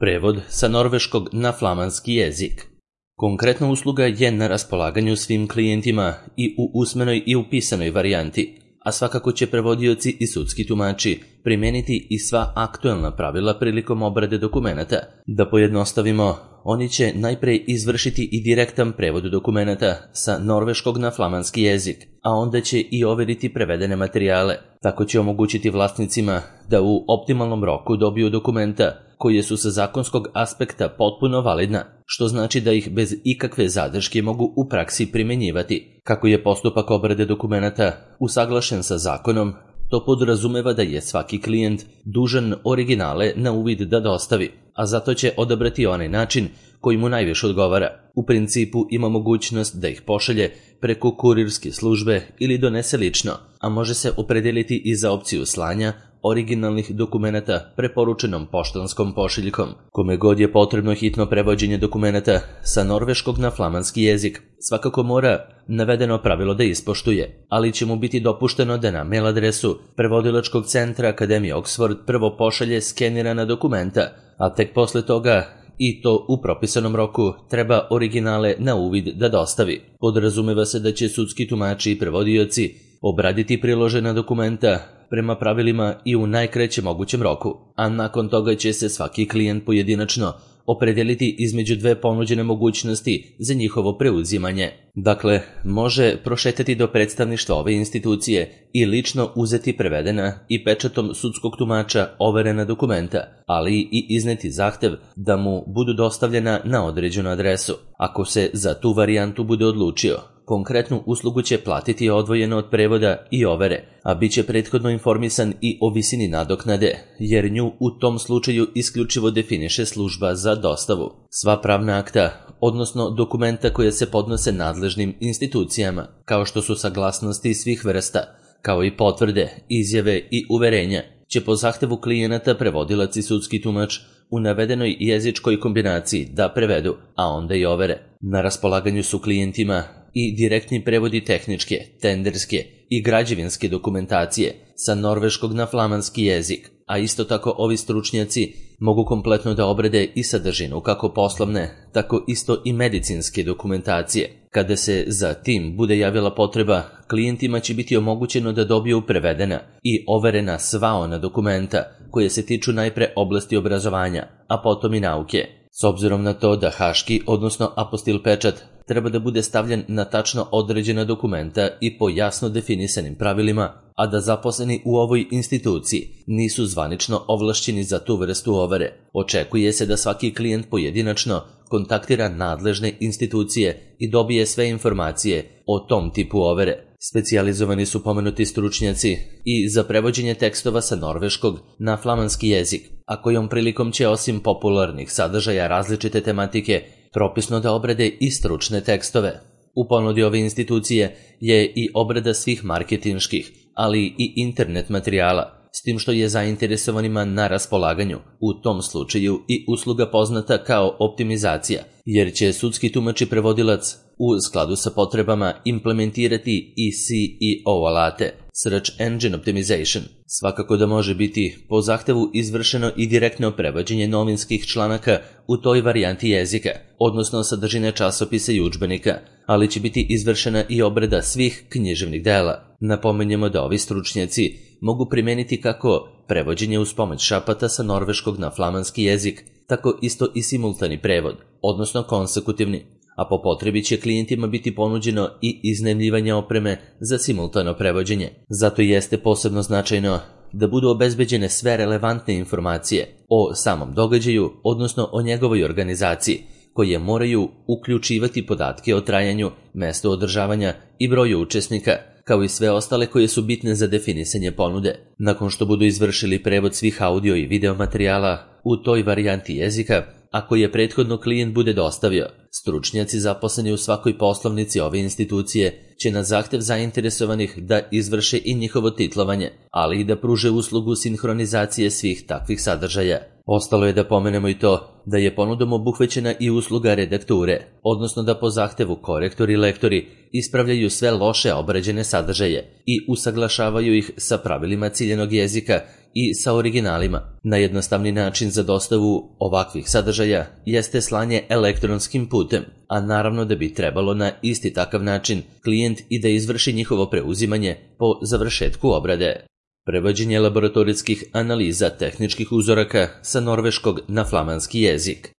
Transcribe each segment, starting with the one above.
Prevod sa norveškog na flamanski jezik. Konkretna usluga je na raspolaganju svim klijentima i u usmenoj i u pisanoj varijanti, a svakako će prevodioci i sudski tumači primeniti i sva aktuelna pravila prilikom obrade dokumenata. Da pojednostavimo, oni će najpre izvršiti i direktan prevod dokumenata sa norveškog na flamanski jezik, a onda će i overiti prevedene materijale. Tako će omogućiti vlasnicima da u optimalnom roku dobiju dokumenta koje su sa zakonskog aspekta potpuno validna, što znači da ih bez ikakve zadrške mogu u praksi primenjivati. Kako je postupak obrade dokumenata usaglašen sa zakonom, to podrazumeva da je svaki klijent dužan originale na uvid da dostavi, a zato će odabrati onaj način koji mu najviše odgovara. U principu ima mogućnost da ih pošalje preko kurirske službe ili donese lično, a može se opredeliti i za opciju slanja originalnih dokumenata preporučenom poštanskom pošiljkom. Kome god je potrebno hitno prevođenje dokumenata sa norveškog na flamanski jezik, svakako mora navedeno pravilo da ispoštuje, ali će mu biti dopušteno da na mail adresu prevodilačkog centra Akademije Oxford prvo pošalje skenirana dokumenta, a tek posle toga, i to u propisanom roku, treba originale na uvid da dostavi. Podrazumeva se da će sudski tumači i prevodioci obraditi priložena dokumenta prema pravilima i u najkraćem mogućem roku, a nakon toga će se svaki klijent pojedinačno opredeliti između dve ponuđene mogućnosti za njihovo preuzimanje. Dakle, može prošetati do predstavništva ove institucije i lično uzeti prevedena i pečatom sudskog tumača overena dokumenta, ali i izneti zahtev da mu budu dostavljena na određenu adresu. Ako se za tu varijantu bude odlučio, konkretnu uslugu će platiti odvojeno od prevoda i overe, a bit će prethodno informisan i o visini nadoknade, jer nju u tom slučaju isključivo definiše služba za dostavu. Sva pravna akta, odnosno dokumenta koje se podnose nadležnim institucijama, kao što su saglasnosti svih vrsta, kao i potvrde, izjave i uverenja, će po zahtevu klijenata prevodilac i sudski tumač u navedenoj jezičkoj kombinaciji da prevedu, a onda i overe. Na raspolaganju su klijentima i direktni prevodi tehničke, tenderske i građevinske dokumentacije sa norveškog na flamanski jezik, a isto tako ovi stručnjaci mogu kompletno da obrade i sadržinu kako poslovne, tako isto i medicinske dokumentacije. Kada se za tim bude javila potreba, klijentima će biti omogućeno da dobiju prevedena i overena sva ona dokumenta koje se tiču najpre oblasti obrazovanja, a potom i nauke. S obzirom na to da haški, odnosno apostil pečat, treba da bude stavljen na tačno određena dokumenta i po jasno definisanim pravilima, a da zaposleni u ovoj instituciji nisu zvanično ovlašćeni za tu vrstu overe, očekuje se da svaki klijent pojedinačno kontaktira nadležne institucije i dobije sve informacije o tom tipu overe. Specijalizovani su pomenuti stručnjaci i za prevođenje tekstova sa norveškog na flamanski jezik, a kojom prilikom će osim popularnih sadržaja različite tematike propisno da obrade i stručne tekstove. U ponudi ove institucije je i obrada svih marketinških, ali i internet materijala, s tim što je zainteresovanima na raspolaganju, u tom slučaju i usluga poznata kao optimizacija, jer će sudski tumač i prevodilac u skladu sa potrebama implementirati i SEO alate, Search Engine Optimization. Svakako da može biti po zahtevu izvršeno i direktno prevođenje novinskih članaka u toj varijanti jezika, odnosno sadržine časopisa i udžbenika, ali će biti izvršena i obrada svih književnih dela. Napomenjemo da ovi stručnjaci mogu primeniti kako prevođenje uz pomoć šapata sa norveškog na flamanski jezik, tako isto i simultani prevod, odnosno konsekutivni, a po potrebi će klijentima biti ponuđeno i iznajmljivanje opreme za simultano prevođenje. Zato jeste posebno značajno da budu obezbeđene sve relevantne informacije o samom događaju, odnosno o njegovoj organizaciji, koje moraju uključivati podatke o trajanju, mestu održavanja i broju učesnika, kao i sve ostale koje su bitne za definisanje ponude. Nakon što budu izvršili prevod svih audio i video materijala u toj varijanti jezika, ako je prethodno klijent bude dostavio, stručnjaci zaposleni u svakoj poslovnici ove institucije će na zahtev zainteresovanih da izvrše i njihovo titlovanje, ali i da pruže uslugu sinhronizacije svih takvih sadržaja. Ostalo je da pomenemo i to da je ponudom obuhvećena i usluga redakture, odnosno da po zahtevu korektori i lektori ispravljaju sve loše obrađene sadržaje i usaglašavaju ih sa pravilima ciljanog jezika i sa originalima. Najjednostavniji način za dostavu ovakvih sadržaja jeste slanje elektronskim putem, a naravno da bi trebalo na isti takav način klijent i da izvrši njihovo preuzimanje po završetku obrade. Prevođenje laboratorijskih analiza tehničkih uzoraka sa norveškog na flamanski jezik.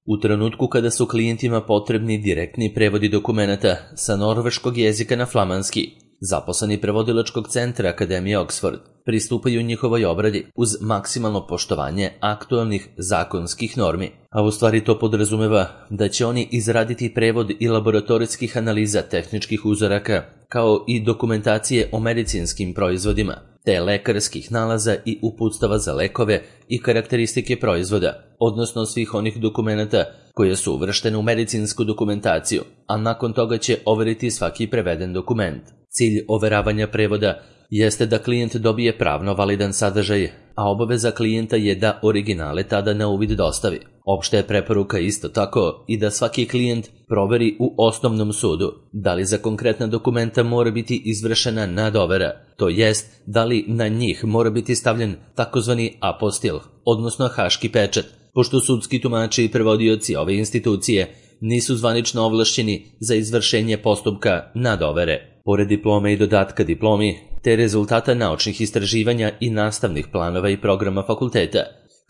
U trenutku kada su klijentima potrebni direktni prevodi dokumenata sa norveškog jezika na flamanski, zaposleni prevodilačkog centra Akademije Oxford pristupaju njihovoj obradi uz maksimalno poštovanje aktualnih zakonskih normi, a u stvari to podrazumeva da će oni izraditi prevod i laboratorijskih analiza tehničkih uzoraka kao i dokumentacije o medicinskim proizvodima, te lekarskih nalaza i uputstava za lekove i karakteristike proizvoda, odnosno svih onih dokumenata koje su uvrštene u medicinsku dokumentaciju, a nakon toga će overiti svaki preveden dokument. Cilj overavanja prevoda jeste da klijent dobije pravno validan sadržaj, a obaveza klijenta je da originale tada na uvid dostavi. Opšta je preporuka isto tako i da svaki klijent proveri u osnovnom sudu da li za konkretna dokumenta mora biti izvršena nadovera, to jest da li na njih mora biti stavljen takozvani apostil, odnosno haški pečat, pošto sudski tumači i prevodioci ove institucije nisu zvanično ovlašćeni za izvršenje postupka nadovere. Pored diplome i dodatka diplomi, te rezultata naučnih istraživanja i nastavnih planova i programa fakulteta,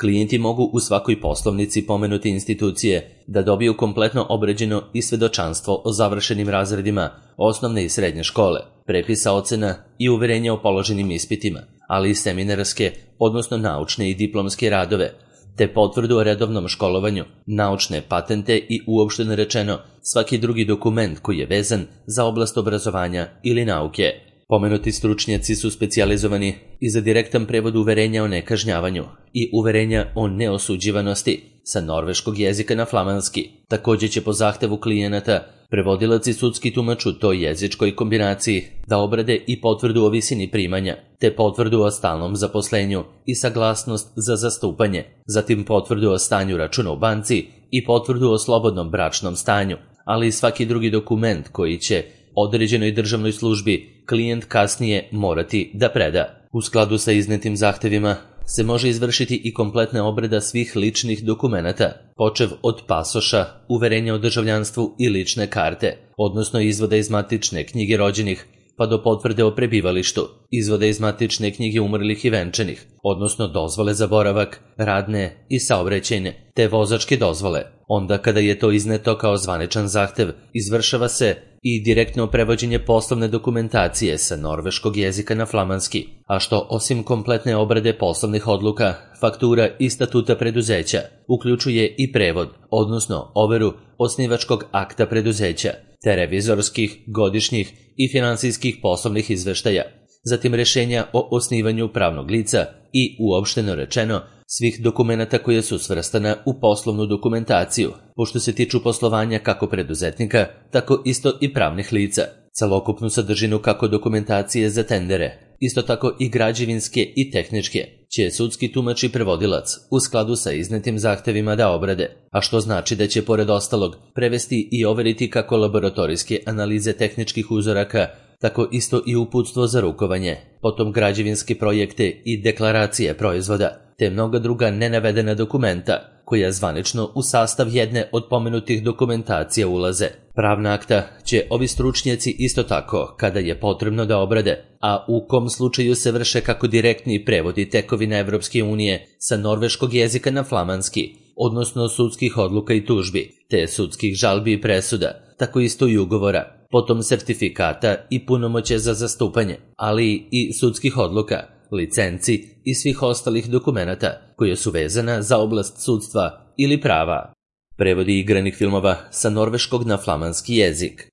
klijenti mogu u svakoj poslovnici pomenuti institucije da dobiju kompletno obrađeno i svedočanstvo o završenim razredima osnovne i srednje škole, prepisa ocena i uverenja o položenim ispitima, ali i seminarske, odnosno naučne i diplomske radove, te potvrdu o redovnom školovanju, naučne patente i uopšteno rečeno svaki drugi dokument koji je vezan za oblast obrazovanja ili nauke. Pomenuti stručnjaci su specijalizovani i za direktan prevod uverenja o nekažnjavanju i uverenja o neosuđivanosti sa norveškog jezika na flamanski. Također će po zahtevu klijenata prevodilac i sudski tumač u toj jezičkoj kombinaciji da obrade i potvrdu o visini primanja, te potvrdu o stalnom zaposlenju i saglasnost za zastupanje, zatim potvrdu o stanju računa u banci i potvrdu o slobodnom bračnom stanju, ali i svaki drugi dokument koji će određenoj državnoj službi klijent kasnije morati da preda. U skladu sa iznetim zahtevima se može izvršiti i kompletna obrada svih ličnih dokumenata, počev od pasoša, uverenja o državljanstvu i lične karte, odnosno izvoda iz matične knjige rođenih, pa do potvrde o prebivalištu, izvoda iz matične knjige umrlih i venčanih, odnosno dozvole za boravak, radne i saobraćajne, te vozačke dozvole. Onda kada je to izneto kao zvaničan zahtev, izvršava se i direktno prevođenje poslovne dokumentacije sa norveškog jezika na flamanski, a što osim kompletne obrade poslovnih odluka, faktura i statuta preduzeća, uključuje i prevod, odnosno overu osnivačkog akta preduzeća, te revizorskih, godišnjih i finansijskih poslovnih izveštaja, zatim rješenja o osnivanju pravnog lica i, uopšteno rečeno, svih dokumenata koje su svrstana u poslovnu dokumentaciju, pošto se tiču poslovanja kako preduzetnika, tako isto i pravnih lica, celokupnu sadržinu kako dokumentacije za tendere, isto tako i građevinske i tehničke, će sudski tumač i prevodilac u skladu sa iznetim zahtevima da obrade, a što znači da će pored ostalog prevesti i overiti kako laboratorijske analize tehničkih uzoraka, tako isto i uputstvo za rukovanje, potom građevinske projekte i deklaracije proizvoda, te mnoga druga nenavedena dokumenta, koja zvanično u sastav jedne od pomenutih dokumentacija ulaze. Pravna akta će ovi stručnjaci isto tako, kada je potrebno da obrade, a u kom slučaju se vrše kako direktni prevodi tekovina Evropske unije sa norveškog jezika na flamanski, odnosno sudskih odluka i tužbi, te sudskih žalbi i presuda, tako isto i ugovora, potom sertifikata i punomoće za zastupanje, ali i sudskih odluka, licenci i svih ostalih dokumenata koje su vezana za oblast sudstva ili prava. Prevodi igranih filmova sa norveškog na flamanski jezik.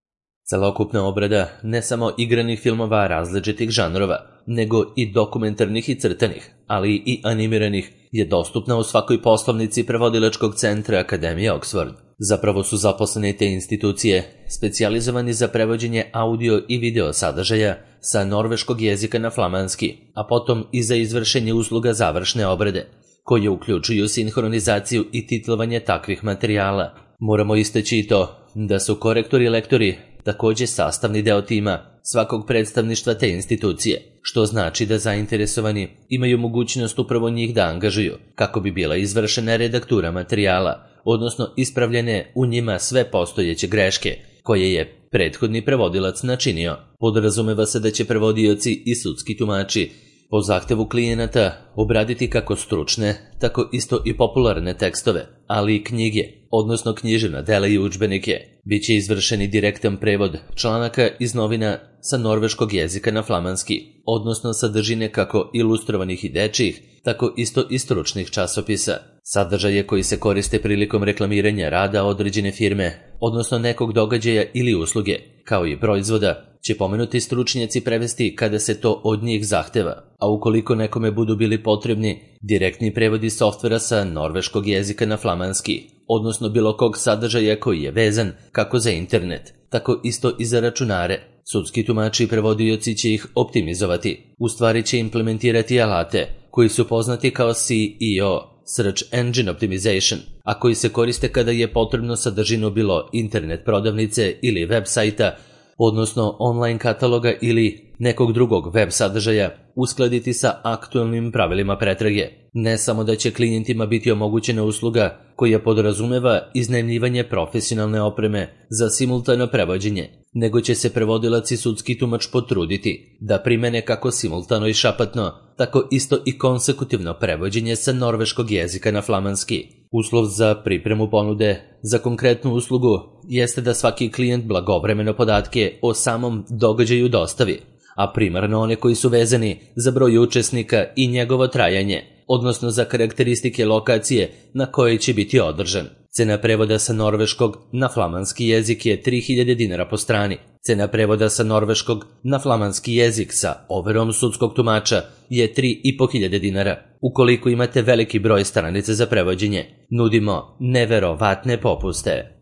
Celokupna obrada ne samo igranih filmova različitih žanrova, nego i dokumentarnih i crtanih, ali i animiranih, je dostupna u svakoj poslovnici prevodilačkog centra Akademije Oxford. Zapravo su zaposlene te institucije specijalizovani za prevođenje audio i video sadržaja sa norveškog jezika na flamanski, a potom i za izvršenje usluga završne obrade, koje uključuju sinhronizaciju i titlovanje takvih materijala. Moramo istaći i to da su korektori i lektori također sastavni deo tima svakog predstavništva te institucije, što znači da zainteresovani imaju mogućnost upravo njih da angažuju kako bi bila izvršena redaktura materijala, odnosno ispravljene u njima sve postojeće greške koje je prethodni prevodilac načinio. Podrazumeva se da će prevodioci i sudski tumači po zahtevu klijenata obraditi kako stručne, tako isto i popularne tekstove, ali i knjige, odnosno književna dela i udžbenike. Biće izvršeni direktan prevod članaka iz novina sa norveškog jezika na flamanski, odnosno sadržine kako ilustrovanih i dečjih, tako isto i stručnih časopisa. Sadržaje koji se koriste prilikom reklamiranja rada određene firme, odnosno nekog događaja ili usluge, kao i proizvoda, će pomenuti stručnjaci prevesti kada se to od njih zahteva, a ukoliko nekome budu bili potrebni direktni prevodi softvera sa norveškog jezika na flamanski, odnosno bilo kog sadržaja koji je vezan kako za internet, tako isto i za računare. Sudski tumači i prevodioci će ih optimizovati, u stvari će implementirati alate koji su poznati kao SEO, Search Engine Optimization, a koji se koriste kada je potrebno sadržinu bilo internet prodavnice ili web sajta, odnosno online kataloga ili nekog drugog web sadržaja, uskladiti sa aktualnim pravilima pretrage. Ne samo da će klijentima biti omogućena usluga koja podrazumeva iznajmljivanje profesionalne opreme za simultano prevođenje, nego će se prevodilac i sudski tumač potruditi da primene kako simultano i šapatno, tako isto i konsekutivno prevođenje sa norveškog jezika na flamanski. Uslov za pripremu ponude za konkretnu uslugu jeste da svaki klijent blagovremeno podatke o samom događaju dostavi, a primarno one koji su vezani za broj učesnika i njegovo trajanje, odnosno za karakteristike lokacije na kojoj će biti održan. Cena prevoda sa norveškog na flamanski jezik je 3000 dinara po strani. Cena prevoda sa norveškog na flamanski jezik sa overom sudskog tumača je 3500 dinara. Ukoliko imate veliki broj stranica za prevođenje, nudimo neverovatne popuste.